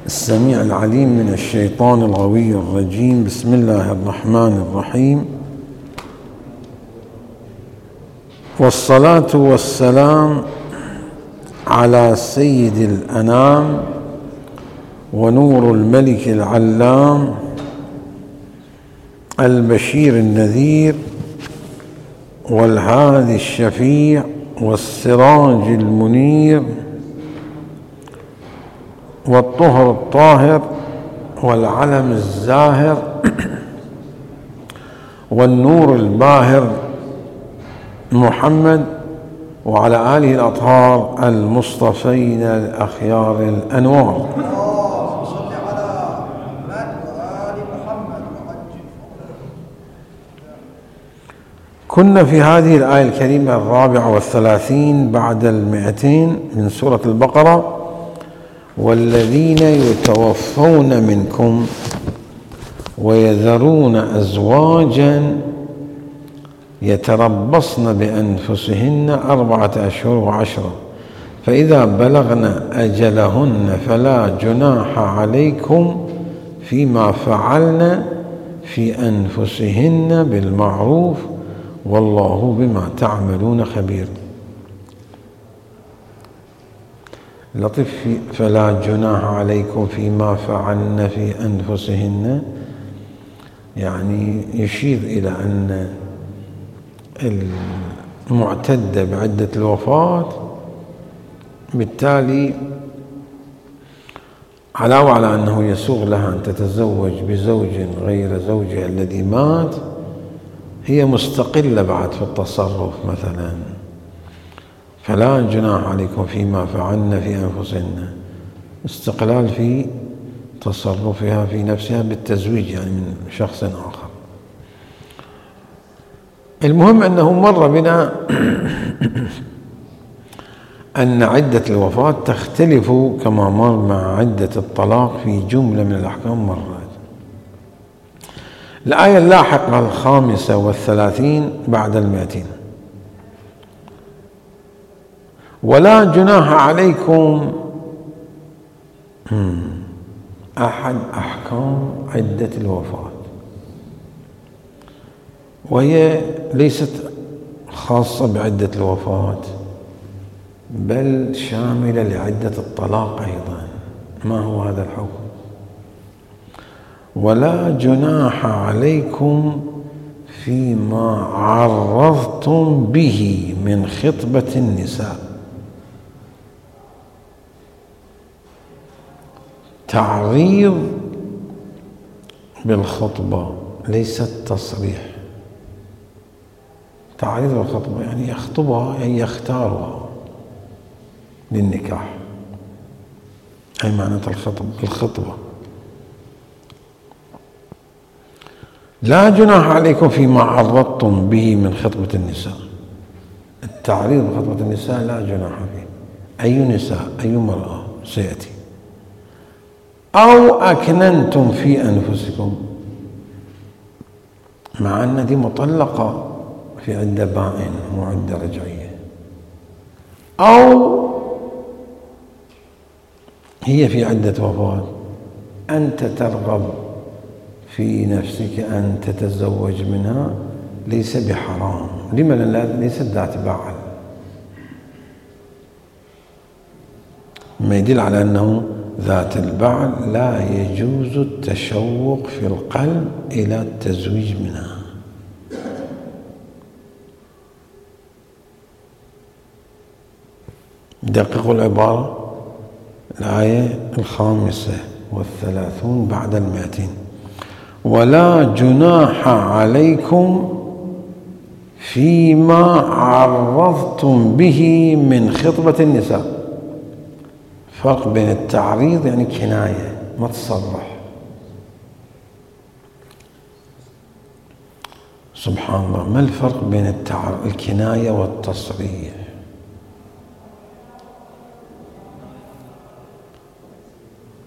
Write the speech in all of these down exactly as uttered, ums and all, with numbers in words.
السميع العليم من الشيطان الغوي الرجيم. بسم الله الرحمن الرحيم، والصلاة والسلام على سيد الأنام ونور الملك العلام البشير النذير والهادي الشفيع والسراج المنير والطهر الطاهر والعلم الزاهر والنور الباهر محمد وعلى آله الأطهار المصطفين الأخيار الأنوار. كنا في هذه الآية الكريمة الرابعة والثلاثين بعد المئتين من سورة البقرة: والذين يتوفون منكم ويذرون أزواجا يتربصن بأنفسهن أربعة أشهر وعشرة فإذا بلغن أجلهن فلا جناح عليكم فيما فعلن في أنفسهن بالمعروف والله بما تعملون خبير. لطف فلا جناح عليكم فيما فعلن في أنفسهن، يعني يشير إلى أن المعتدة بعدة الوفاة بالتالي علاوة على أنه يسوغ لها أن تتزوج بزوج غير زوجها الذي مات، هي مستقلة بعد في التصرف. مثلا فلا جناح عليكم فيما فعلن في أنفسهن، استقلال في تصرفها في نفسها بالتزويج يعني من شخص آخر. المهم أنه مر بنا أن عدة الوفاة تختلف كما مر مع عدة الطلاق في جملة من الأحكام مرات. الآية اللاحقة الخامسة والثلاثين بعد المئتين: ولا جناح عليكم أحد أحكام عدة الوفاة، وهي ليست خاصة بعدة الوفاة بل شاملة لعدة الطلاق أيضا. ما هو هذا الحكم؟ ولا جناح عليكم فيما عرضتم به من خطبة النساء. تعريض بالخطبة ليس التصريح. تعريض بالخطبة يعني يخطبها، يعني يختارها للنكاح، أي معنى الخطبة الخطبة. لا جناح عليكم فيما عرضتم به من خطبة النساء. التعريض بخطبة النساء لا جناح فيه. أي نساء؟ أي مرأة سيأتي. أو أكننتم في أنفسكم، مع أن دي مطلقة في عدة بائن وعدة رجعية، أو هي في عدة وفاة أنت ترغب في نفسك أن تتزوج منها، ليس بحرام. لما لا؟ ليست ذات بعل، ما يدل على أنه ذات البعل لا يجوز التشوق في القلب إلى التزويج منها. دققوا العبارة، الآية الخامسة والثلاثون بعد المئتين: ولا جناح عليكم فيما عرضتم به من خطبة النساء. فرق بين التعريض يعني كناية ما تصرح. سبحان الله، ما الفرق بين التعريض الكناية والتصريح؟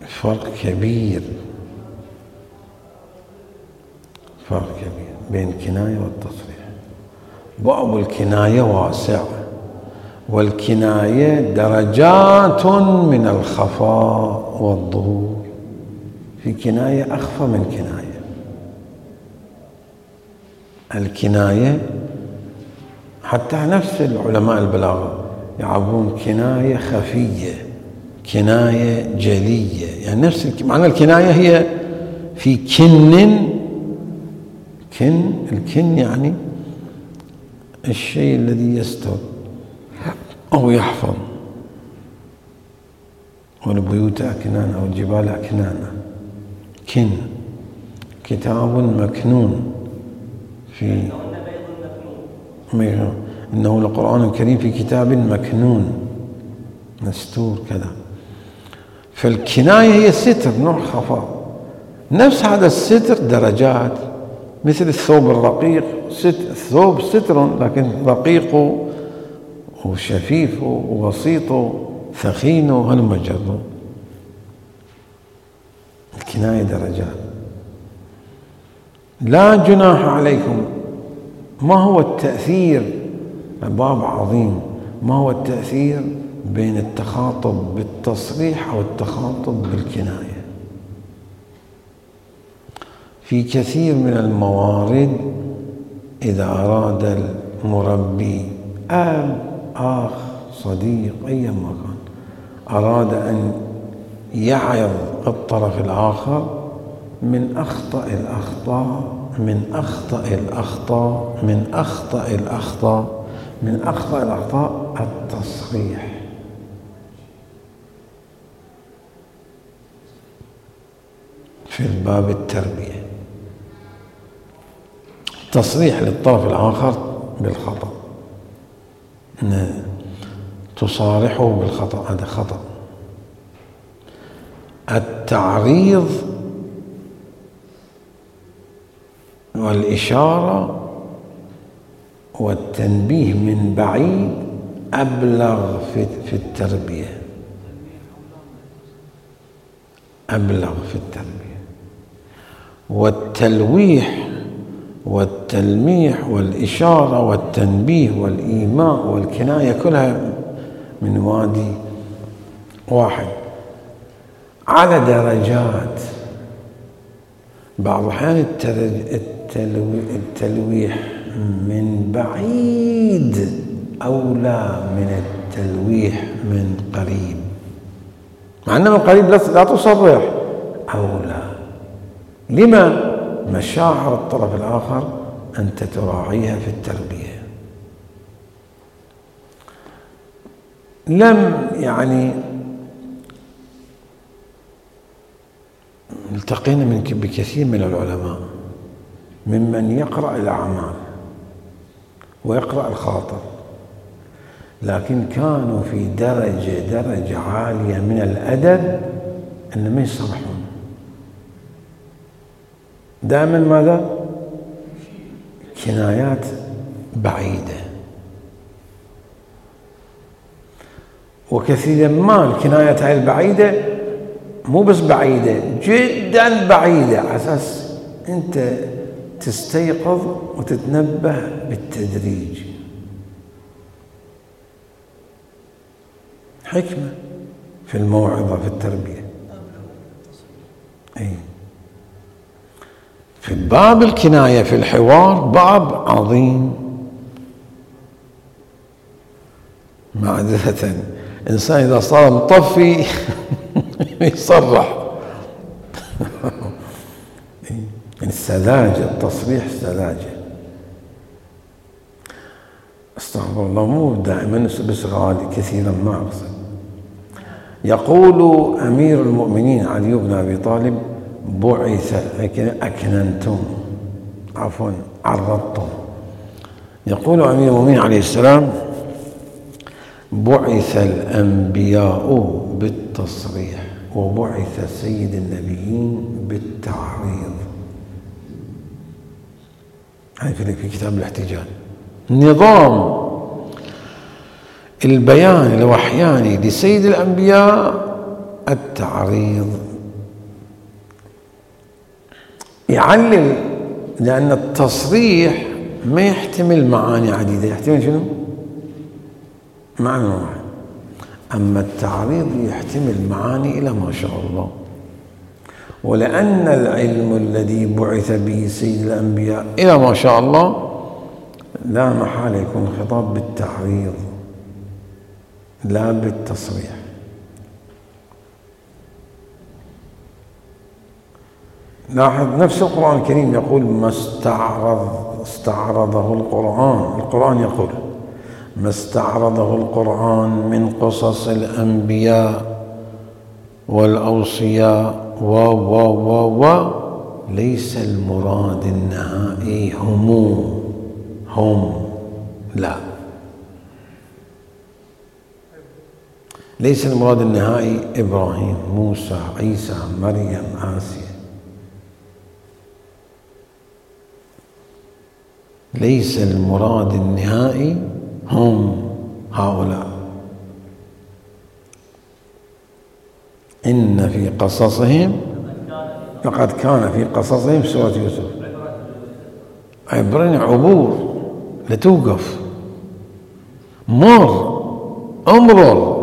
فرق كبير، فرق كبير بين الكناية والتصريح. باب الكناية واسع، والكناية درجات من الخفاء والظهور. في كناية أخفى من كناية. الكناية حتى نفس العلماء البلاغة يعبرون كناية خفية، كناية جلية، يعني نفس معنى الكناية هي في كن، كن الكن يعني الشيء الذي يستر أو يحفظ، والبيوت أكنان أو الجبال أكنانا. كن كتاب مكنون في إنه القرآن الكريم في كتاب مكنون مستور كذا. فالكناية هي ستر، نوع خفاء. نفس هذا الستر درجات، مثل الثوب الرقيق، الثوب ستر لكن رقيق وشفيف وبسيط ثخين وهلم جر. الكناية درجات. لا جناح عليكم. ما هو التأثير؟ باب عظيم. ما هو التأثير بين التخاطب بالتصريح أو التخاطب بالكناية؟ في كثير من الموارد إذا أراد المربي أب أخ صديق أي مكان أراد أن يعظ الطرف الآخر من أخطأ الأخطاء من أخطأ الأخطاء من أخطأ الأخطاء من أخطأ الأخطاء التصريح. في الباب التربية تصريح للطرف الآخر بالخطأ، تصارحه بالخطأ، هذا خطأ. التعريض والإشارة والتنبيه من بعيد أبلغ في التربية، أبلغ في التربية. والتلويح والتلميح والإشارة والتنبيه والإيماء والكناية كلها من وادي واحد على درجات. بعض الأحيان التلويح من بعيد أولى من التلويح من قريب، مع أنه من قريب لا تصرح، أولى. لما؟ مشاعر الطرف الآخر أنت تراعيها في التربية. لم يعني التقينا من بكثير من العلماء ممن يقرأ الأعمال ويقرأ الخاطر، لكن كانوا في درجة درجة عالية من الأدب أن ما يصرحون. دائما ماذا؟ كنايات بعيدة. وكثيرا ما الكنايات هاي البعيدة مو بس بعيدة، جدا بعيدة، على أساس أنت تستيقظ وتتنبه بالتدريج. حكمة في الموعظة في التربية. أي في باب الكناية في الحوار باب عظيم. معذرة إنسان إذا صار مطفي يصرح. السذاجة، التصريح سذاجة. استغفر الله، مو دائما بس غالي، كثيرا ما أقصد. يقول أمير المؤمنين علي بن أبي طالب: بعث أكننتم، عفوا عرضتم. يقول أمير المؤمنين عليه السلام: بعث الأنبياء بالتصريح وبعث سيد النبيين بالتعريض. هاي في كتاب الاحتجاج. نظام البيان الوحياني لسيد الأنبياء التعريض. يعلل، لأن التصريح ما يحتمل معاني عديدة. يحتمل شنو؟ معنى واحد. أما التعريض يحتمل معاني إلى ما شاء الله. ولأن العلم الذي بعث به سيد الأنبياء إلى ما شاء الله لا محالة يكون خطاب بالتعريض لا بالتصريح. لاحظ نفس القرآن الكريم يقول ما استعرض استعرضه القرآن. القرآن يقول ما استعرضه القرآن من قصص الأنبياء والأوصياء و و و و ليس المراد النهائي هم هم لا ليس المراد النهائي إبراهيم موسى عيسى مريم آسيا. ليس المراد النهائي هم هؤلاء. إن في قصصهم لقد كان في قصصهم سورة يوسف عبرين عبور لتوقف مر امرر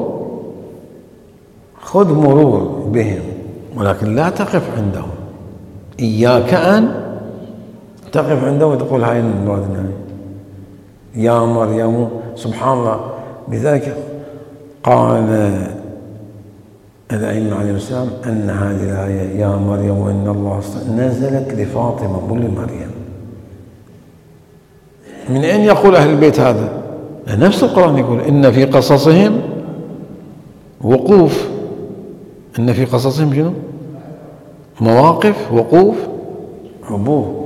خذ مرور بهم ولكن لا تقف عندهم. إياك أن تقف عنده وتقول هاي المراد النهائي يا مريم. سبحان الله. لذلك قال الأئمة عليهم السلام أن هذه الآية يا مريم وإن الله نزلت لفاطمة مو لمريم. من أين يقول أهل البيت هذا؟ نفس القرآن يقول إن في قصصهم وقوف. إن في قصصهم شنو؟ مواقف وقوف عبور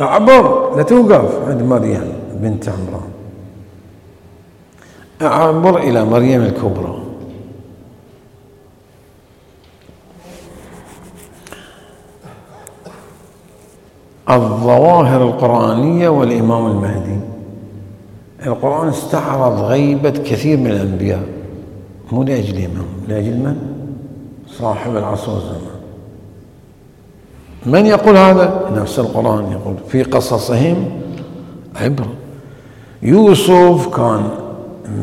أعبر لا توقف عند مريم بنت عمران أعبر إلى مريم الكبرى. الظواهر القرآنية والإمام المهدي. القرآن استعرض غيبة كثير من الأنبياء مو لأجلهم لأجل من؟ صاحب العصر والزمان. من يقول هذا؟ نفس القرآن يقول في قصصهم عبرة. يوسف كان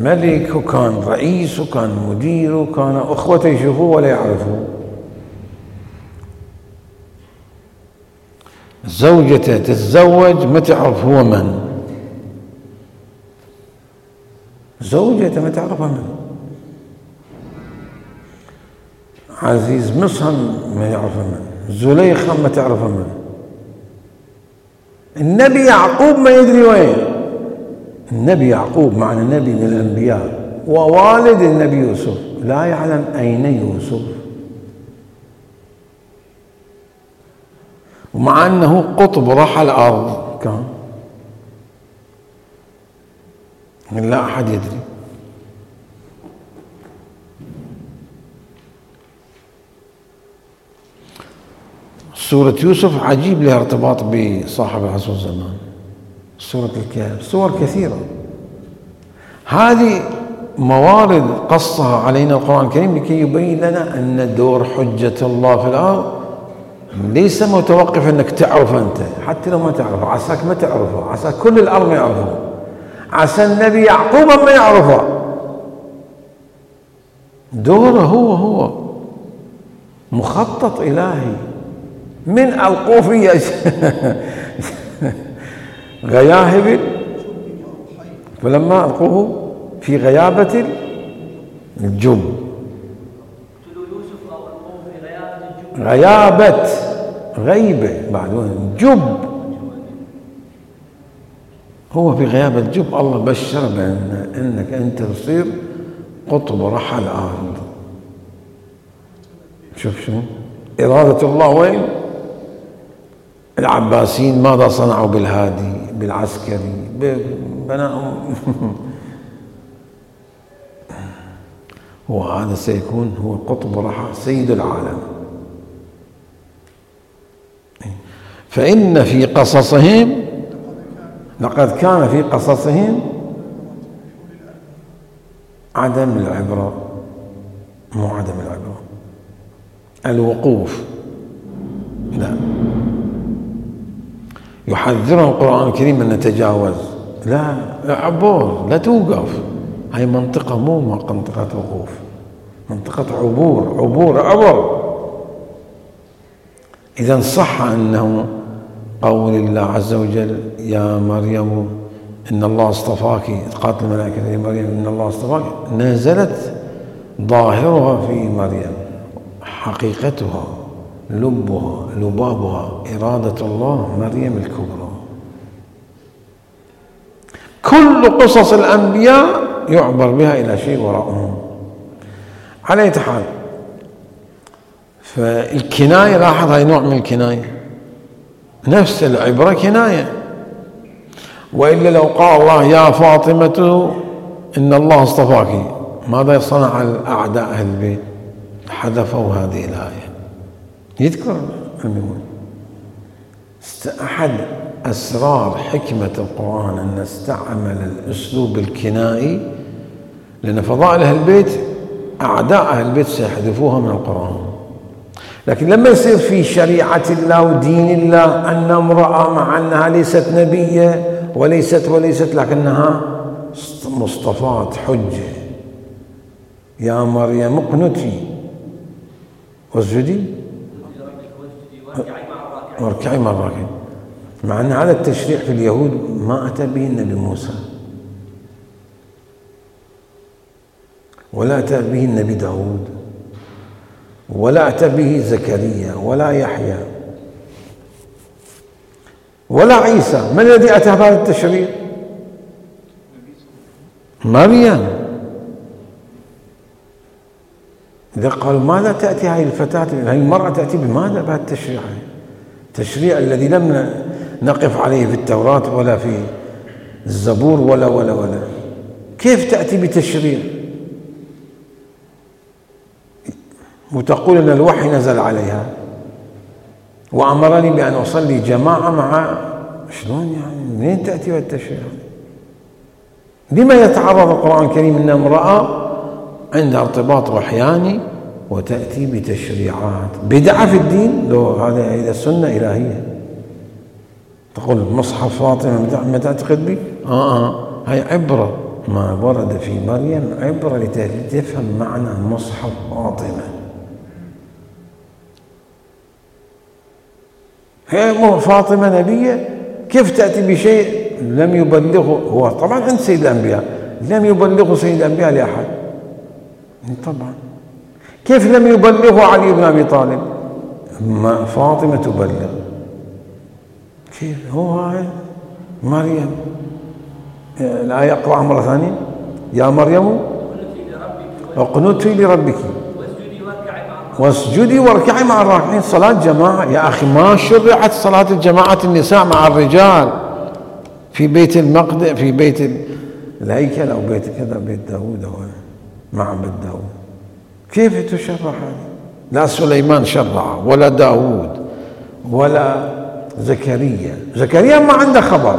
ملك وكان رئيس وكان مدير وكان أخوته يشوفوه ولا يعرفوه. زوجته تتزوج ما تعرف هو من. زوجته ما تعرفها من. عزيز مصر ما يعرفها من. زليخة ما تعرفها من. النبي يعقوب ما يدري وين. النبي يعقوب معنى نبي من الأنبياء ووالد النبي يوسف لا يعلم أين يوسف ومع أنه قطب رحى الأرض كان لا أحد يدري. سورة يوسف عجيب لها ارتباط بصاحب العصر والزمان. سورة الكهف سور كثيرة. هذه موارد قصها علينا القرآن الكريم لكي يبين لنا أن دور حجة الله في الأرض ليس متوقف أنك تعرف أنت حتى لو ما تعرفه عساك ما تعرفه عسى كل الأرض ما يعرفه عسى النبي يعقوب ما يعرفه. دوره هو هو مخطط إلهي من القوفية غياهب فلما ألقوه في غيابة الجب غيابة غيبة بعدين جب هو في غيابة الجب. الله بشر بأن أنك أنت تصير قطب رحى الأرض. شوف شو إرادة الله وين. العباسيين ماذا صنعوا بالهادي بالعسكري بناهم وهذا سيكون هو قطب رحى سيد العالم. فإن في قصصهم لقد كان في قصصهم عدم العبرة مو عدم العبرة الوقوف لا. يحذرنا القرآن الكريم أن نتجاوز لا عبور لا توقف هاي منطقة مو منطقة وقوف، منطقة عبور، عبور عبر. إذا صح أنه قول الله عز وجل يا مريم إن الله اصطفاك، قالت الملائكة يا مريم إن الله اصطفاك، نزلت ظاهرها في مريم، حقيقتها لبها لبابها إرادة الله مريم الكبرى. كل قصص الأنبياء يعبر بها إلى شيء وراءهم. على أي حال، فالكناية لاحظ هاي نوع من الكناية، نفس العبرة كناية. وإلا لو قال الله يا فاطمة إن الله اصطفاك، ماذا صنع الأعداء أهل البيت؟ حذفوا هذه الآية. يذكر المهم أحد أسرار حكمة القرآن أن استعمل الأسلوب الكنائي، لأن فضائل أهل البيت أعداء أهل البيت سيحذفوها من القرآن. لكن لما يصير في شريعة الله ودين الله أن امرأة مع أنها ليست نبية وليست وليست لكنها مصطفاة حجة، يا مريم اقنتي واسجدي واركعي مع الراكعين، مع أن هذا التشريع في اليهود ما أتى به النبي موسى ولا أتى به النبي داود ولا أتى به زكريا ولا يحيى ولا عيسى. من الذي أتى بهذا التشريع؟ مريم. إذا قالوا ماذا تأتي هذه الفتاة، هذه المرأة تأتي بماذا بهذا التشريع؟ التشريع الذي لم نقف عليه في التوراة ولا في الزبور ولا ولا ولا كيف تأتي بتشريع وتقول أن الوحي نزل عليها وأمرني بأن أصلي جماعة مع، شلون يعني؟ منين تأتي بالتشريع؟ لما يتعرض القرآن الكريم أن امرأة عندها ارتباط وحياني وتأتي بتشريعات بدعة في الدين؟ لو هذا إذا سنة إلهية تقول مصحف فاطمة ما تعتقد به؟ آه آه هاي عبرة ما ورد في مريم، عبرة لتفهم معنى مصحف فاطمة. هي فاطمة نبية، كيف تأتي بشيء لم يبلغه هو طبعا عند سيد الأنبياء، لم يبلغه سيد الأنبياء لأحد طبعا. كيف لم يبلغه علي بن أبي طالب؟ ما فاطمة تبلغ. كيف هو هاي مريم؟ الآية أقرأها مرة ثانية. يا مريم اقنتي لربك واسجدي واركعي مع الراكعين. صلاة جماعة يا أخي، ما شرعت صلاة الجماعة النساء مع الرجال في بيت المقدس، في بيت الهيكل أو بيت كذا، بيت داود أو معبد داود. كيف تشرع هذا؟ لا سليمان شرع ولا داود ولا زكريا. زكريا ما عنده خبر،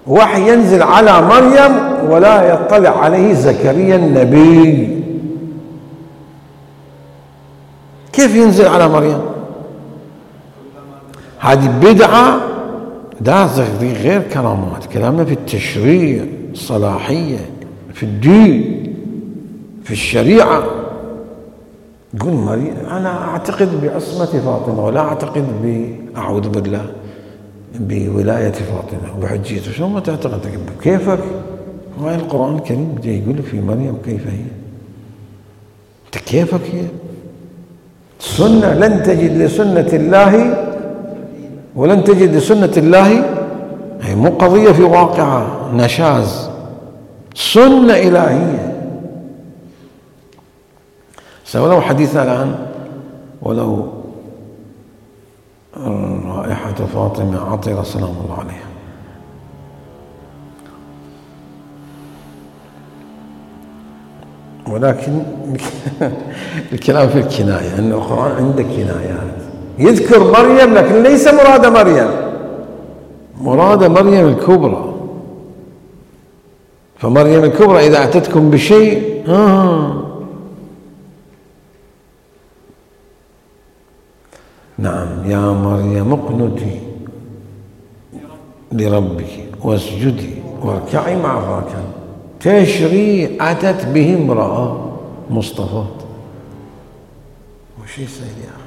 وحي ينزل على مريم ولا يطلع عليه زكريا النبي. كيف ينزل على مريم؟ هذه بدعة. ده غير كرامات، كلامنا في التشريع، الصلاحية، في الدين، في الشريعة. يقول مريم أنا أعتقد بعصمة فاطمة ولا أعتقد بأعوذ بالله بولاية فاطمة وبحجيته. شو ما تعتقد؟ كيفك؟ هاي القرآن الكريم جاي يقول في مريم كيف هي؟ أنت كيفك هي؟ سنة لن تجد لسنة الله ولن تجد لسنة الله، هي مو قضية في واقعها نشاز، سنة إلهية. ولو حديثنا الآن ولو رائحة فاطمة عطرة سلام الله عليها. ولكن الكلام في الكناية، أن القرآن عنده كنايات. يذكر مريم لكن ليس مراد مريم، مراد مريم الكبرى. فمريم الكبرى إذا أتتكم بشيء آه نعم يا مريم اقنتي لربك واسجدي واركعي مع الراكعين. تشريع أتت به امرأة مصطفى، وش يصير يا أخي؟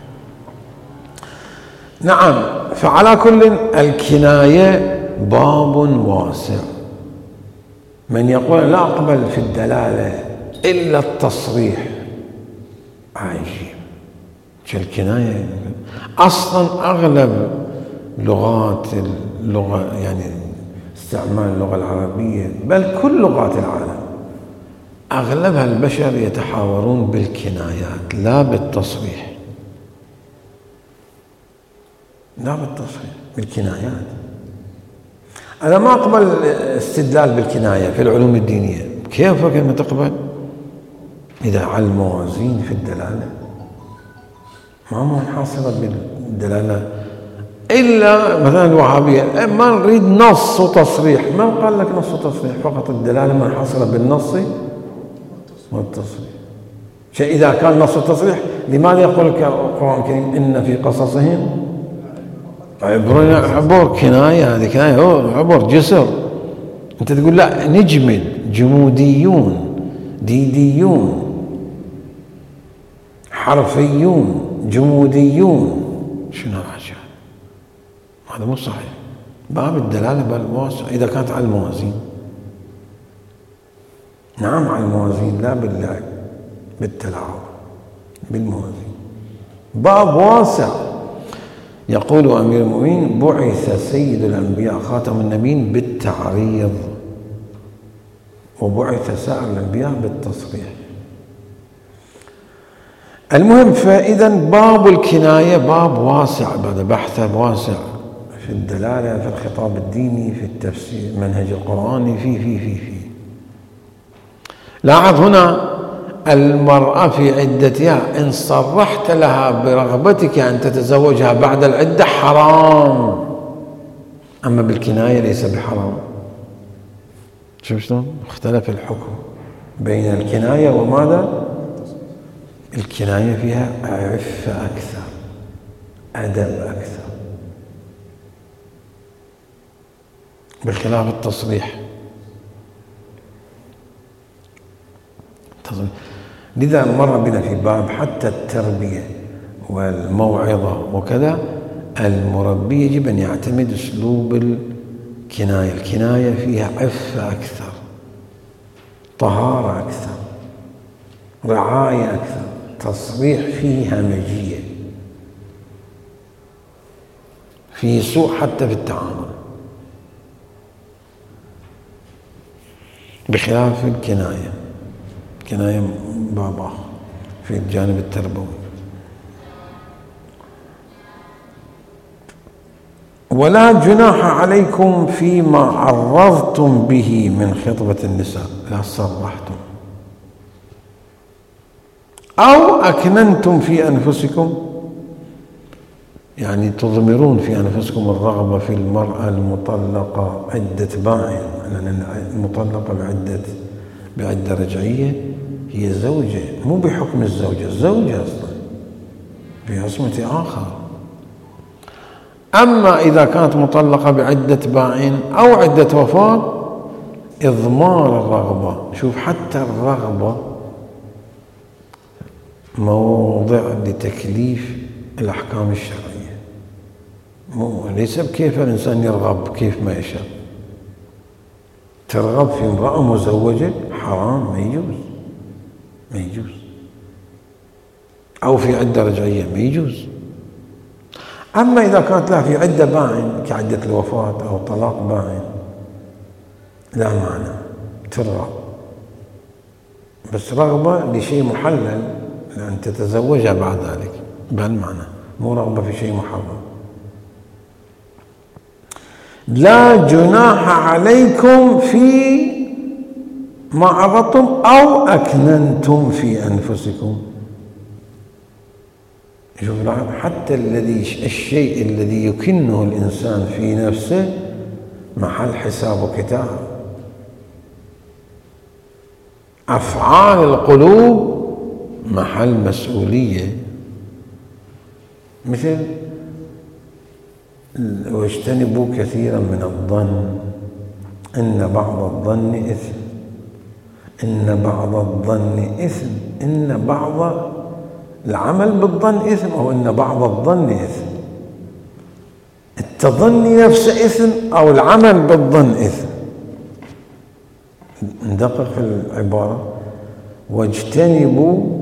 نعم. فعلى كل الكناية باب واسع. من يقول لا أقبل في الدلالة إلا التصريح عجيب. الكناية أصلا أغلب لغات اللغة، يعني استعمال اللغة العربية بل كل لغات العالم أغلبها البشر يتحاورون بالكنايات لا بالتصريح، لا بالتصريح، بالكنايات. أنا ما أقبل استدلال بالكناية في العلوم الدينية. كيف كلمة تقبل؟ إذا على الموازين في الدلالة ما هو حاصلة بالدلالة إلا مثلا الوهابية ما نريد نص وتصريح. من قال لك نص وتصريح؟ فقط الدلالة ما حاصلة بالنص والتصريح. شيء إذا كان نص وتصريح لماذا يقول القرآن الكريم إن في قصصهم عبر؟ عبر كناية، هذه كناية، هو عبر جسر. أنت تقول لا نجمد، جموديون، ديديون، حرفيون، جموديون. شنو هالأشياء؟ هذا مو صحيح. باب الدلالة بالواسع إذا كانت على الموازين. نعم على الموازين، لا باللعب بالتلاعب، بالموازين. باب واسع. يقول أمير المؤمنين بعث سيد الأنبياء خاتم النبيين بالتعريض، وبعث سائر الأنبياء بالتصريح. المهم، فإذا باب الكناية باب واسع، بعد بحث واسع في الدلالة، في الخطاب الديني، في التفسير، المنهج القرآني، في في في في لاحظ هنا المرأة في عدتها إن صرحت لها برغبتك أن تتزوجها بعد العدة حرام، أما بالكناية ليس بحرام. شوف شلون اختلف الحكم بين الكناية وماذا؟ الكناية فيها عفة أكثر، أدب أكثر، بخلاف التصريح. لذا مر بنا في باب حتى التربية والموعظة وكذا، المربي يجب أن يعتمد أسلوب الكناية. الكناية فيها عفة أكثر، طهارة أكثر، رعاية أكثر. تصريح فيه همجية، فيه سوء حتى في التعامل، بخلاف الكناية. الكناية باب آخر في الجانب التربوي. ولا جناح عليكم فيما عرضتم به من خطبة النساء، لا صرحتم أو أكننتم في أنفسكم، يعني تضمرون في أنفسكم الرغبة في المرأة المطلقة عدة باعٍ، لأن المطلقة بعدة بعدة رجعية هي زوجة، مو بحكم الزوجة، الزوجة أصلا بعصمة آخر. أما إذا كانت مطلقة بعدة باع أو عدة وفاة إضمار الرغبة. شوف حتى الرغبة موضع لتكليف الأحكام الشرعية، مو ليس بكيف الإنسان يرغب كيف ما يشاء. ترغب في امرأة مزوجة حرام، ما يجوز، ما يجوز. أو في عدة رجعية ما يجوز. أما إذا كانت لها في عدة باعٍ كعدة الوفاة أو طلاق باعٍ لا معنى، ترغب، بس رغبة لشيء محلل لأن تتزوجها بعد ذلك بهالمعنى، مو رغبة في شيء محرم. لا جناح عليكم في ما عرضتم أو أكننتم في أنفسكم. شوف حتى الذي الشيء الذي يكنه الإنسان في نفسه محل حساب وكتاب. أفعال القلوب محل مسؤولية، مثل واجتنبوا كثيرا من الظن إن بعض الظن إثم. إن بعض الظن إثم، إن بعض العمل بالظن إثم، أو إن بعض الظن إثم. التظني نفسه إثم أو العمل بالظن إثم. ندقق في العبارة: واجتنبوا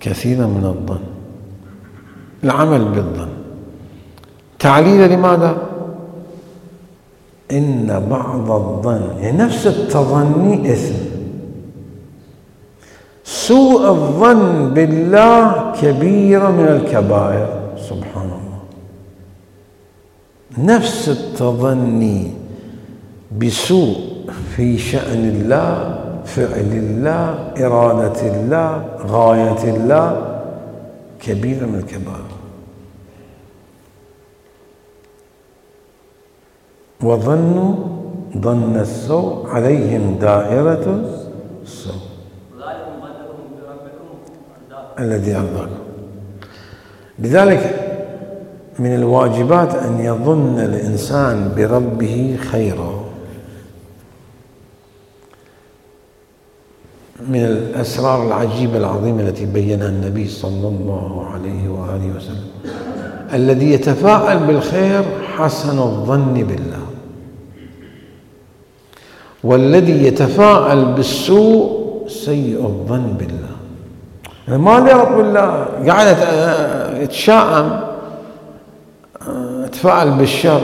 كثيرا من الظن، العمل بالظن. تعليل لماذا؟ إن بعض الظن، يعني نفس التظني إثم. سوء الظن بالله كبيرة من الكبائر، سبحان الله. نفس التظني بسوء في شأن الله، فعل الله، إرادة الله، غاية الله، كبيرة من الكبائر. وظنوا ظن السوء عليهم دائرة السوء الذي أرضاكم. لذلك من الواجبات أن يظن الإنسان بربه خيرا. من الأسرار العجيبة العظيمة التي بينها النبي صلى الله عليه وآله وسلم: الذي يتفاءل بالخير حسن الظن بالله، والذي يتفاءل بالسوء سيء الظن بالله. ما لرب بالله قاعد يتشائم، يتفاءل بالشر،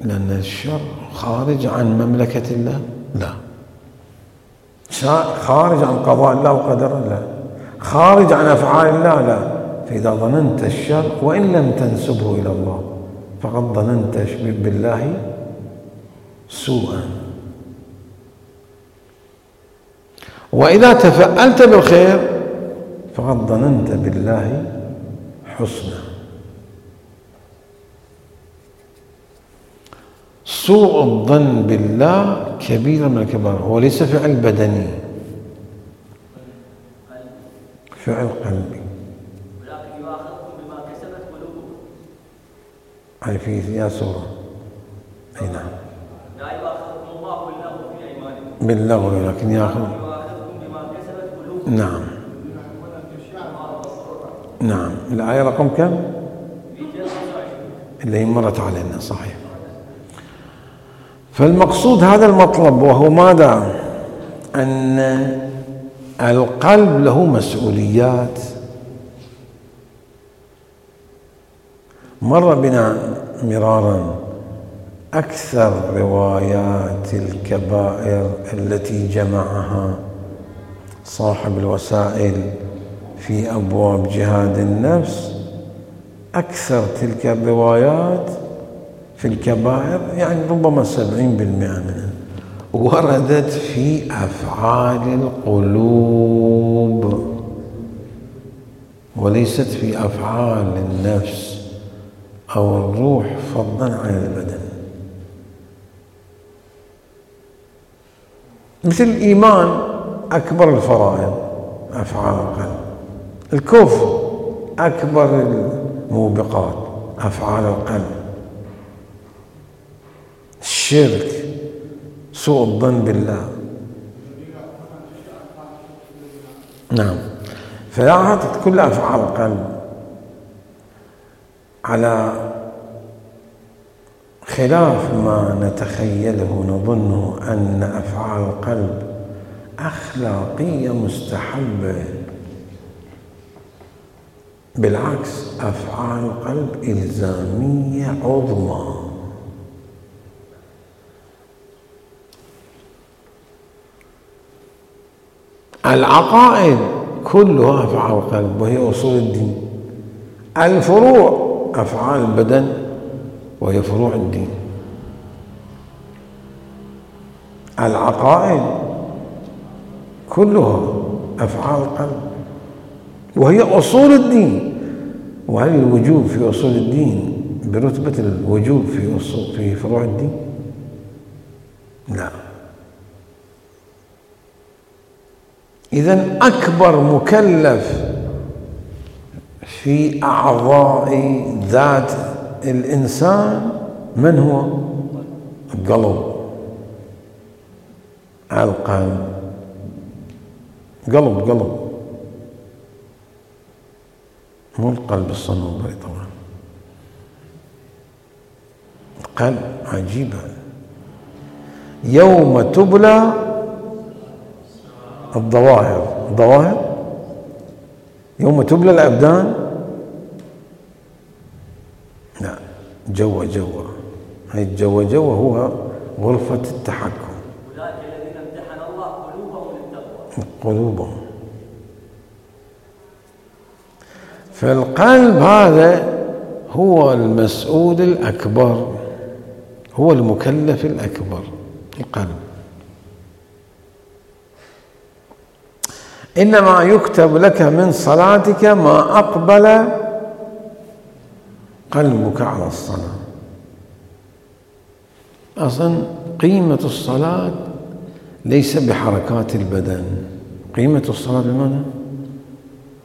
لأن الشر خارج عن مملكة الله؟ لا. خارج عن قضاء الله وقدره؟ لا. خارج عن أفعال الله؟ لا. فإذا ظننت الشر وإن لم تنسبه إلى الله فقد ظننت بالله سوءا. وإذا تفألت بالخير فقد ظننت بالله حسنا. سوء الظن بالله كبيرة من الكبائر. هو ليس فعل بدني، فعل قلبي. ولكن يؤاخذكم بما كسبت قلوبكم. أي في يا سورة. أي نعم. لا يؤاخذكم الله باللغو في أيمانكم. باللغو، لكن يأخذ. يؤاخذكم بما كسبت قلوبكم. نعم. نعم. الآية رقم كم؟ اللي هي مرت علينا، صحيح. فالمقصود هذا المطلب، وهو ماذا؟ أن القلب له مسؤوليات. مر بنا مرارا أكثر روايات الكبائر التي جمعها صاحب الوسائل في أبواب جهاد النفس، أكثر تلك الروايات في الكبائر، يعني ربما سبعين بالمئة منها وردت في أفعال القلوب وليست في أفعال النفس أو الروح فضلا عن البدن. مثل الإيمان أكبر الفرائض أفعال القلب، الكفر أكبر الموبقات أفعال القلب، الشرك، سوء الظن بالله. نعم. فلاحظت كل أفعال القلب على خلاف ما نتخيله نظنه أن أفعال القلب أخلاقية مستحبة. بالعكس، أفعال القلب إلزامية عظمى. العقائد كلها أفعال القلب وهي أصول الدين. الفروع أفعال البدن وهي فروع الدين. العقائد كلها أفعال القلب وهي أصول الدين. وهل الوجوب في أصول الدين برتبة الوجوب في أصول في فروع الدين؟ لا. إذن أكبر مكلف في أعضاء ذات الإنسان من هو؟ القلب. القلب. قلب قلب مو القلب الصنوبري طبعا، قلب عجيبة. يوم تبلى الظواهر، الظواهر يوم تبلى الأبدان، لا جوا جوا، هاي الجوا جوا هو غرفة التحكم. أولئك الذين امتحن الله قلوبهم للتقوى. قلوبهم. فالقلب هذا هو المسؤول الأكبر، هو المكلف الأكبر، القلب. إنما يكتب لك من صلاتك ما أقبل قلبك على الصلاة. أصلا قيمة الصلاة ليس بحركات البدن، قيمة الصلاة بماذا؟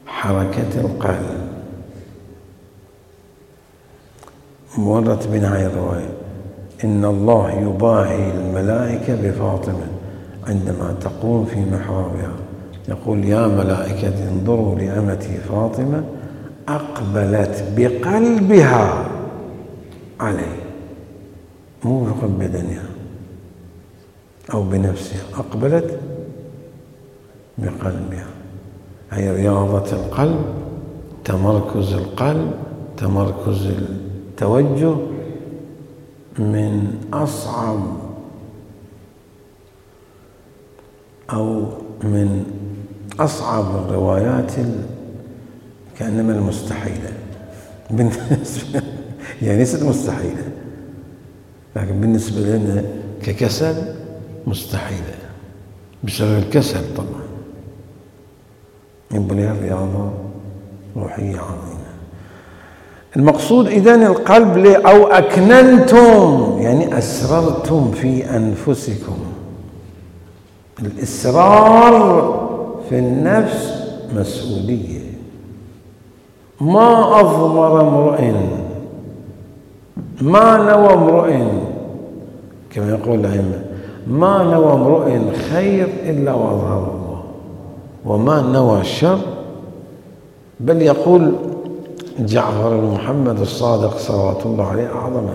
حركة القلب. مرت بنا هاي الرواية: إن الله يباهي الملائكة بفاطمة عندما تقوم في محرابها، يقول: يا ملائكة انظروا لأمتي فاطمة أقبلت بقلبها علي، مو بقلب بدنها أو بنفسها، أقبلت بقلبها. هي رياضة القلب، تمركز القلب، تمركز التوجه، من أصعب أو من أصعب الروايات كأنما المستحيلة بالنسبة، يعني ليست مستحيلة لكن بالنسبة لنا ككسل مستحيلة بسبب الكسل طبعا. يبقى لها رياضة روحية عظيمة. المقصود إذن القلب أو أكننتم يعني أسررتم في أنفسكم. الإسرار في النفس مسؤولية. ما أضمر امرئ، ما نوى امرئ، كما يقول الأئمة: ما نوى امرئ خير إلا وأظهر الله، وما نوى شر. بل يقول جعفر بن محمد الصادق صلوات الله عليه أعظم: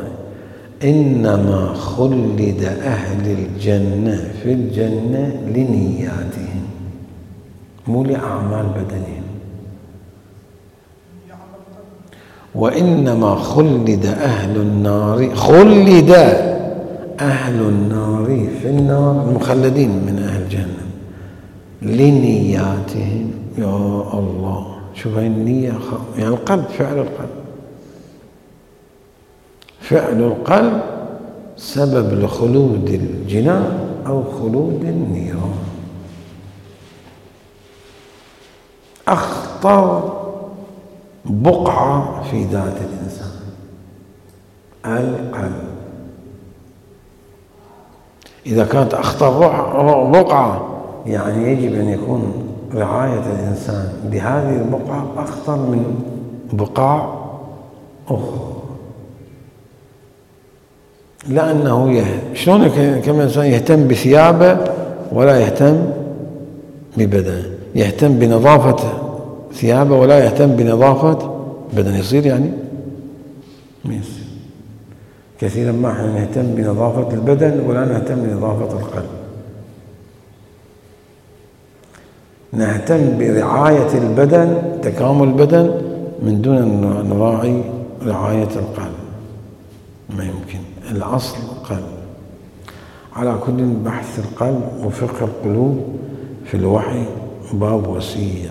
إنما خلد أهل الجنة في الجنة لنياتهم، مو لأعمال بدنهم. وإنما خلد أهل النار، خلد أهل النار في النار، المخلدين من أهل الجنة، لنياتهم. يا الله، شوف هاي النية، يعني القلب، فعل القلب، فعل القلب سبب لخلود الجنان أو خلود النيران. أخطر بقعة في ذات الإنسان القلب. إذا كانت أخطر بقعة يعني يجب أن يكون رعاية الإنسان بهذه البقعة أخطر من بقاع أخرى، لأنه يه... شلون كما إنسان يهتم بثيابه ولا يهتم ببدنه، يهتم بنظافة ثيابه ولا يهتم بنظافة بدنه، يصير يعني ما يصير. كثيرا ما احنا نهتم بنظافة البدن ولا نهتم بنظافة القلب. نهتم برعاية البدن، تكامل البدن، من دون أن نراعي رعاية القلب، ما يمكن. الأصل القلب. على كل بحث القلب وفقه القلوب في الوحي باب وسيع.